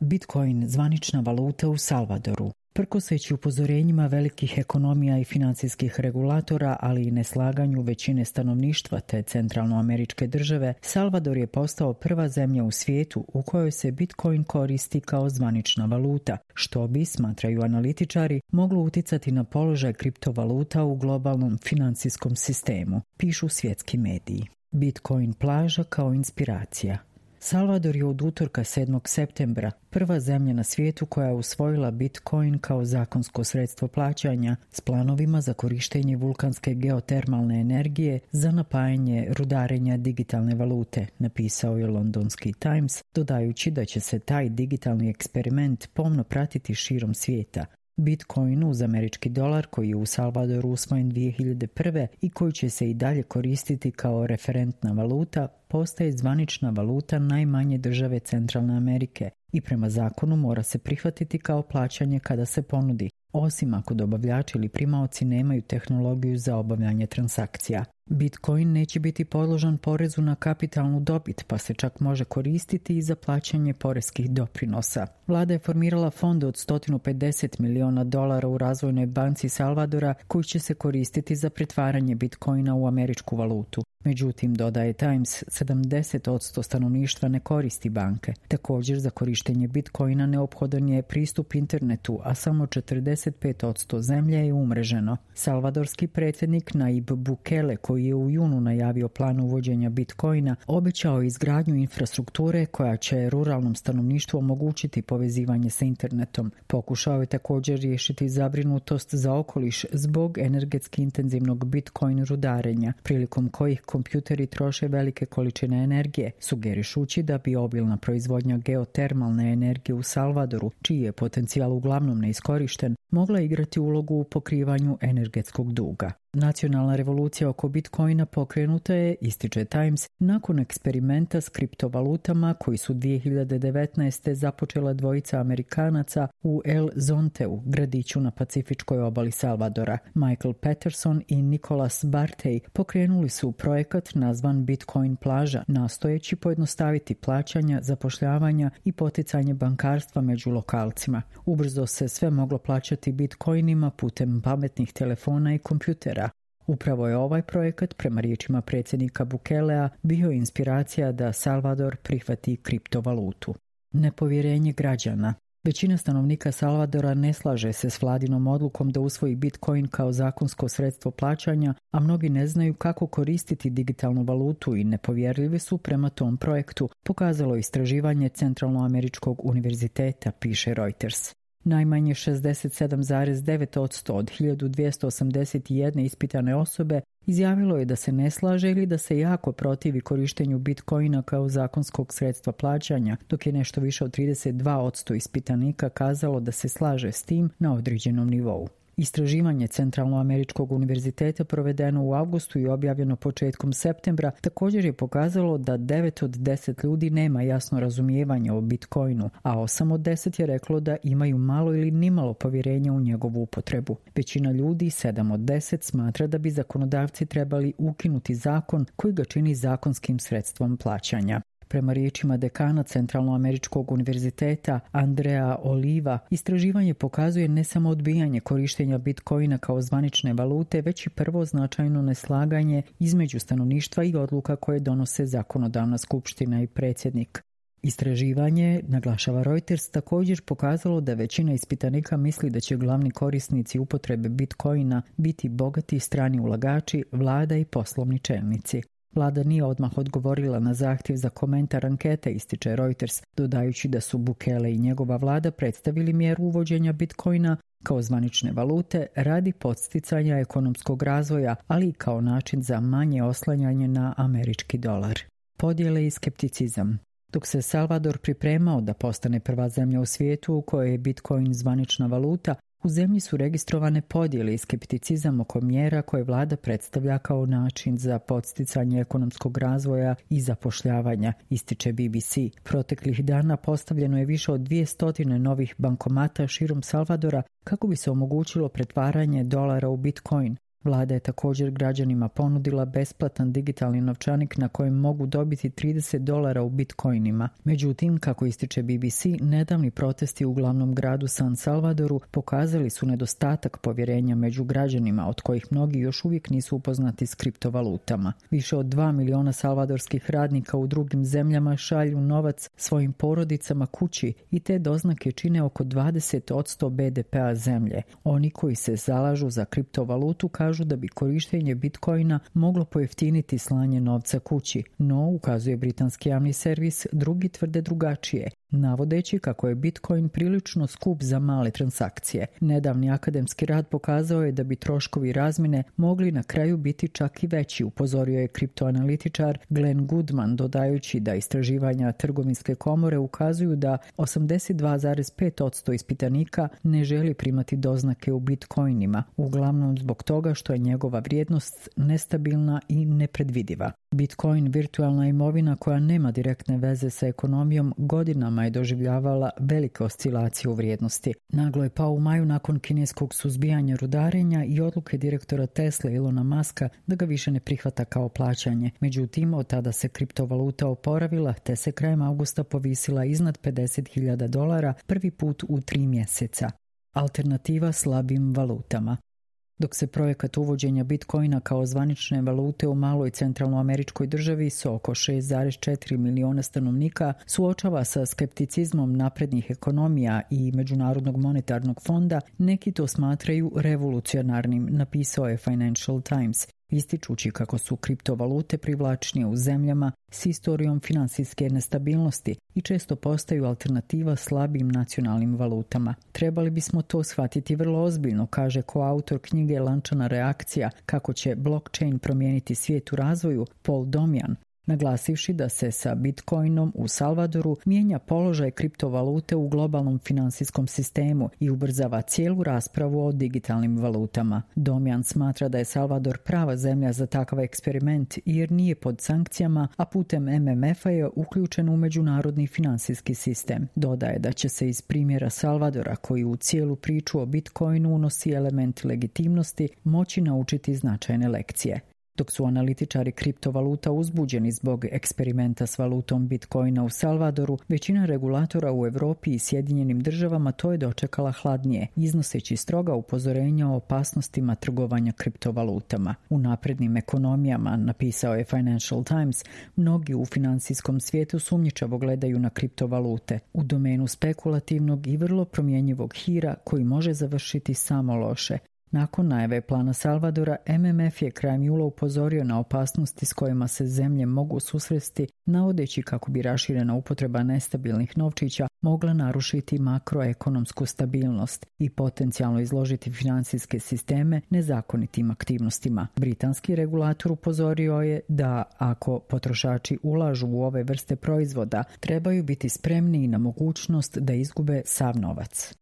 Bitcoin zvanična valuta u Salvadoru. Prkoseći upozorenjima velikih ekonomija i financijskih regulatora, ali i neslaganju većine stanovništva te centralnoameričke države, Salvador je postao prva zemlja u svijetu u kojoj se Bitcoin koristi kao zvanična valuta, što bi, smatraju analitičari, moglo uticati na položaj kriptovaluta u globalnom financijskom sistemu, pišu svjetski mediji. Bitcoin plaža kao inspiracija. Salvador je od utorka 7. septembra prva zemlja na svijetu koja je usvojila Bitcoin kao zakonsko sredstvo plaćanja s planovima za korištenje vulkanske geotermalne energije za napajanje rudarenja digitalne valute, napisao je londonski Times, dodajući da će se taj digitalni eksperiment pomno pratiti širom svijeta. Bitcoin uz američki dolar, koji je u Salvadoru usvojen 2001. i koji će se i dalje koristiti kao referentna valuta, postaje zvanična valuta najmanje države Centralne Amerike i prema zakonu mora se prihvatiti kao plaćanje kada se ponudi, osim ako dobavljači ili primaoci nemaju tehnologiju za obavljanje transakcija. Bitcoin neće biti podložan porezu na kapitalnu dobit, pa se čak može koristiti i za plaćanje poreskih doprinosa. Vlada je formirala fond od $150 miliona u Razvojnoj banci Salvadora koji će se koristiti za pretvaranje Bitcoina u američku valutu. Međutim, dodaje Times, 70% stanovništva ne koristi banke. Također, za korištenje Bitcoina neophodan je pristup internetu, a samo 45% zemlje je umreženo. Salvadorski predsjednik Nayib Bukele, koji je u junu najavio plan uvođenja Bitcoina, obećao izgradnju infrastrukture koja će ruralnom stanovništvu omogućiti povezivanje sa internetom. Pokušao je također riješiti zabrinutost za okoliš zbog energetski intenzivnog Bitcoin rudarenja, prilikom kojih kompjuteri troše velike količine energije, sugerišući da bi obilna proizvodnja geotermalne energije u Salvadoru, čiji je potencijal uglavnom neiskorišten, mogla igrati ulogu u pokrivanju energetskog duga. Nacionalna revolucija oko Bitcoina pokrenuta je, ističe Times, nakon eksperimenta s kriptovalutama koji su 2019. započela dvojica Amerikanaca u El Zonteu, gradiću na pacifičkoj obali Salvadora. Michael Patterson i Nicholas Bartey pokrenuli su projekat nazvan Bitcoin plaža, nastojeći pojednostaviti plaćanja, zapošljavanja i poticanje bankarstva među lokalcima. Ubrzo se sve moglo plaćati bitcoinima putem pametnih telefona i kompjutera. Upravo je ovaj projekat, prema riječima predsjednika Bukelea, bio inspiracija da Salvador prihvati kriptovalutu. Nepovjerenje građana. Većina stanovnika Salvadora ne slaže se s vladinom odlukom da usvoji Bitcoin kao zakonsko sredstvo plaćanja, a mnogi ne znaju kako koristiti digitalnu valutu i nepovjerljivi su prema tom projektu, pokazalo istraživanje Centralnoameričkog univerziteta, piše Reuters. Najmanje 67,9% od 1281 ispitane osobe izjavilo je da se ne slaže ili da se jako protivi korištenju Bitcoina kao zakonskog sredstva plaćanja, dok je nešto više od 32% ispitanika kazalo da se slaže s tim na određenom nivou. Istraživanje Centralnoameričkog univerziteta provedeno u avgustu i objavljeno početkom septembra također je pokazalo da 9 od 10 ljudi nema jasno razumijevanje o Bitcoinu, a 8 od 10 je reklo da imaju malo ili nimalo povjerenja u njegovu upotrebu. Većina ljudi, 7 od 10, smatra da bi zakonodavci trebali ukinuti zakon koji ga čini zakonskim sredstvom plaćanja. Prema riječima dekana Centralnoameričkog univerziteta Andrea Oliva, istraživanje pokazuje ne samo odbijanje korištenja Bitcoina kao zvanične valute, već i prvo značajno neslaganje između stanovništva i odluka koje donose zakonodavna skupština i predsjednik. Istraživanje, naglašava Reuters, također pokazalo da većina ispitanika misli da će glavni korisnici upotrebe Bitcoina biti bogati strani ulagači, vlada i poslovni čelnici. Vlada nije odmah odgovorila na zahtjev za komentar ankete, ističe Reuters, dodajući da su Bukele i njegova vlada predstavili mjeru uvođenja Bitcoina kao zvanične valute radi podsticanja ekonomskog razvoja, ali i kao način za manje oslanjanje na američki dolar. Podjele i skepticizam. Dok se Salvador pripremao da postane prva zemlja u svijetu u kojoj je Bitcoin zvanična valuta, u zemlji su registrovane podjele i skepticizam oko mjera koje vlada predstavlja kao način za podsticanje ekonomskog razvoja i zapošljavanja, ističe BBC. Proteklih dana postavljeno je više od 200 novih bankomata širom Salvadora kako bi se omogućilo pretvaranje dolara u Bitcoin. Vlada je također građanima ponudila besplatan digitalni novčanik na kojem mogu dobiti $30 u bitcoinima. Međutim, kako ističe BBC, nedavni protesti u glavnom gradu San Salvadoru pokazali su nedostatak povjerenja među građanima, od kojih mnogi još uvijek nisu upoznati s kriptovalutama. Više od 2 miliona salvadorskih radnika u drugim zemljama šalju novac svojim porodicama kući i te doznake čine oko 20% BDP-a zemlje. Oni koji se zalažu za kriptovalutu kažu da bi korištenje bitcoina moglo pojeftiniti slanje novca kući, no, ukazuje britanski javni servis, drugi tvrde drugačije, navodeći kako je bitcoin prilično skup za male transakcije. Nedavni akademski rad pokazao je da bi troškovi razmjene mogli na kraju biti čak i veći, upozorio je kriptoanalitičar Glenn Goodman, dodajući da istraživanja trgovinske komore ukazuju da 82,5% ispitanika ne želi primati doznake u bitcoinima, uglavnom zbog toga što je njegova vrijednost nestabilna i nepredvidiva. Bitcoin, virtualna imovina koja nema direktne veze sa ekonomijom, godinama je doživljavala velike oscilacije u vrijednosti. Naglo je pao u maju nakon kineskog suzbijanja rudarenja i odluke direktora Tesla Elona Muska da ga više ne prihvata kao plaćanje. Međutim, od tada se kriptovaluta oporavila, te se krajem augusta povisila iznad $50.000 prvi put u 3 mjeseca. Alternativa slabim valutama. Dok se projekat uvođenja bitcoina kao zvanične valute u maloj centralnoameričkoj državi s oko 6,4 miliona stanovnika suočava sa skepticizmom naprednih ekonomija i Međunarodnog monetarnog fonda, neki to smatraju revolucionarnim, napisao je Financial Times, ističući kako su kriptovalute privlačnije u zemljama s historijom financijske nestabilnosti i često postaju alternativa slabim nacionalnim valutama. Trebali bismo to shvatiti vrlo ozbiljno, kaže koautor knjige Lančana reakcija, kako će blockchain promijeniti svijet u razvoju, Paul Domjan, naglasivši da se sa bitcoinom u Salvadoru mijenja položaj kriptovalute u globalnom finansijskom sistemu i ubrzava cijelu raspravu o digitalnim valutama. Domjan smatra da je Salvador prava zemlja za takav eksperiment jer nije pod sankcijama, a putem MMF-a je uključen u međunarodni finansijski sistem. Dodaje da će se iz primjera Salvadora, koji u cijelu priču o bitcoinu unosi element legitimnosti, moći naučiti značajne lekcije. Dok su analitičari kriptovaluta uzbuđeni zbog eksperimenta s valutom bitcoina u Salvadoru, većina regulatora u Europi i Sjedinjenim državama to je dočekala hladnije, iznoseći stroga upozorenja o opasnostima trgovanja kriptovalutama. U naprednim ekonomijama, napisao je Financial Times, mnogi u financijskom svijetu sumnjičavo gledaju na kriptovalute, u domenu spekulativnog i vrlo promjenjivog hira koji može završiti samo loše. Nakon najave plana Salvadora, MMF je krajem jula upozorio na opasnosti s kojima se zemlje mogu susresti, navodeći kako bi raširena upotreba nestabilnih novčića mogla narušiti makroekonomsku stabilnost i potencijalno izložiti financijske sisteme nezakonitim aktivnostima. Britanski regulator upozorio je da ako potrošači ulažu u ove vrste proizvoda, trebaju biti spremni na mogućnost da izgube sav novac.